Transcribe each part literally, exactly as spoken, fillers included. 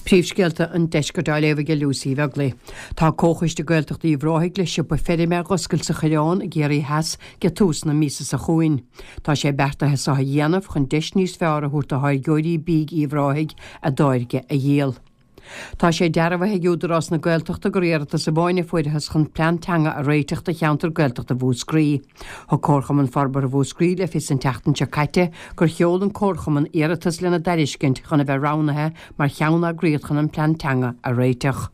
Príomhscéalta an deiscirt á léamh ag Lucy Bheaglaoich. Tá Comhchoiste Gaeltachta Uíbh Ráthaigh le siopa feirme a dh'oscailt sa Choireán i gCiarraí Theas ag tús na míosa seo chugainn. Tá sé beartaithe seo a dhéanamh chun deis níos fearr a thabhairt do tháirgeoirí bídh Uíbh Ráthaigh a dtáirge a dhíol. Tá sé dearbhaithe ag Údarás na Gaeltachta gur iarratas amháin a fuarthas chun plean teanga a réiteach do cheantar Gaeltachta Mhúscraí. Thug Comharchumann Forbartha Mhúscraí le fios an tseachtain seo caite gur sheol an Comharchumann iarratas lena dtairiscint chun a bheith roghnaithe mar cheanneagraíocht chun an plean teanga a réiteach.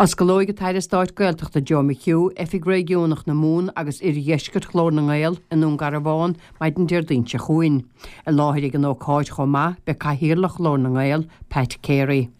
Osclóidh an tAire Stáit Gaeltachta Joe McHugh, Oifig Réigiúnach na Mumhan agus Oirdheisceart Ghlór na nGael i nDún Garbhán maidin Déardaoin seo chugainn. I láthair ag an ócáid chomh maith beidh Cathaoirleach Ghlór na nGael, Pat Carey.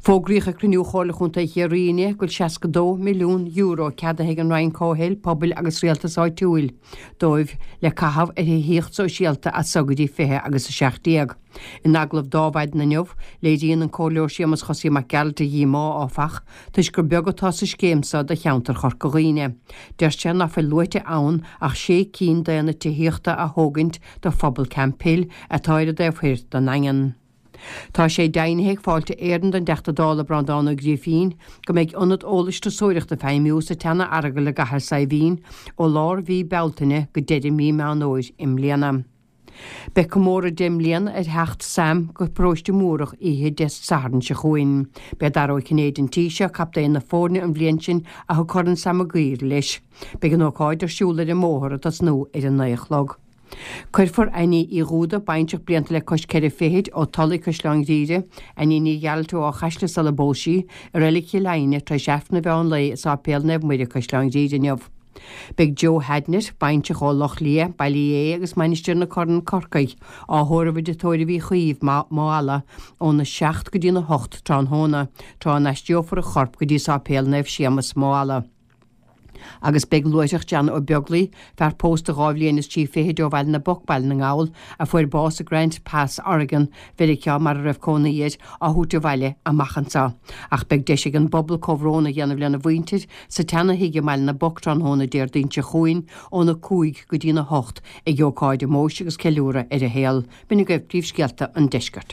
Fógraíodh ag cruinniú Chomhairle Chontae Chiarraí inné go bhfuil seasca dó milliún euro ceadaithe ag an Roinn Comhshaoil, Pobail agus Rialtais Áitiúil dóibh le caitheamh ar thithíocht sóisialta as so go dtí fiche agus a seacht déag. In agallamh do Adhmhaidin inniu, léiríonn an Comhairleoir Séamus Chosaí Mac Gearailt a dhíomá, áfach, toisc gur beag atá sa scéim seo do cheantar Chorca Dhuibhne. Deir sé ná fuil luaite ann ach sé cinn d'aonaid tithíochta a thógaint do phobal Camphill atá ar an dtaobh thoir den nDaingean. Tá sé deimhnithe ag Fáilte Éireann don dTeachta Dála Breandán Ó Grífín go mbeidh ionad eolais turasóireachta ag feidhmiú sa tSeana-Earagail i gCathair Saidhbhín ó lár mhí Bealtaine go deireadh mí Meán Fhómhair i mbliana. Beidh comóradh deich mbliana ar theacht Sam go Paróiste Múrach oíche Dé Sathairn seo chugainn. B'é Dara Ó Cinnéide an tí seo, captaen na foirne an bhliain sin a thug Corn Sam Maguire leis. Beidh an ócáid ar siúl ar an mbóthar ag tosnú ar a naoi a chlog. Cuirfear Annie Uí Dhúda, baintreach blianta le cois ceithre fichid, ó Tulaigh, Caisleán Ghriaire, Annie Ní Ghearailt ó Áth Chaisle sula bpós sí, i Reilig Chill Aidhne tar éis Aifreann an mheán lae i Sáipéal Naomh Muire, Caisleán Ghriaire inniu. Beidh Joe Hadnett, baintreach ó Loch Liath, Baile Uí Aodha agus Mainistir na Corann, Corcaigh, á thórramh i dTigh Tórraimh Uí Chaoimh, Maigh Ealla, óna seacht go dtína hocht tráthnóna, tráth a n-aistreofar a chorp go dtí Sáipéal Naomh Séamus, Maigh Ealla. Agus beidh luaithreach John Ó Beaglaoi, fear pósta dhá bhliain is trí fichid ó Bhaile na bPoc, Baile na nGall, a fuair bás i Grants Pass, Oregon, Mheiriceá, mar a raibh cónaí air, á thabhairt abhaile amach anseo. Ach beidh deis ag an bpobal comhbhrón a dhéanamh lena mhuintir sa tseana-thigh i mBaile na bPoc tráthnóna Déardaoin seo chugainn óna cúig go dtína hocht ag ócáid omóis agus ceiliúradh ar a shaol. B'in agaibh príomhscéalta an deiscirt.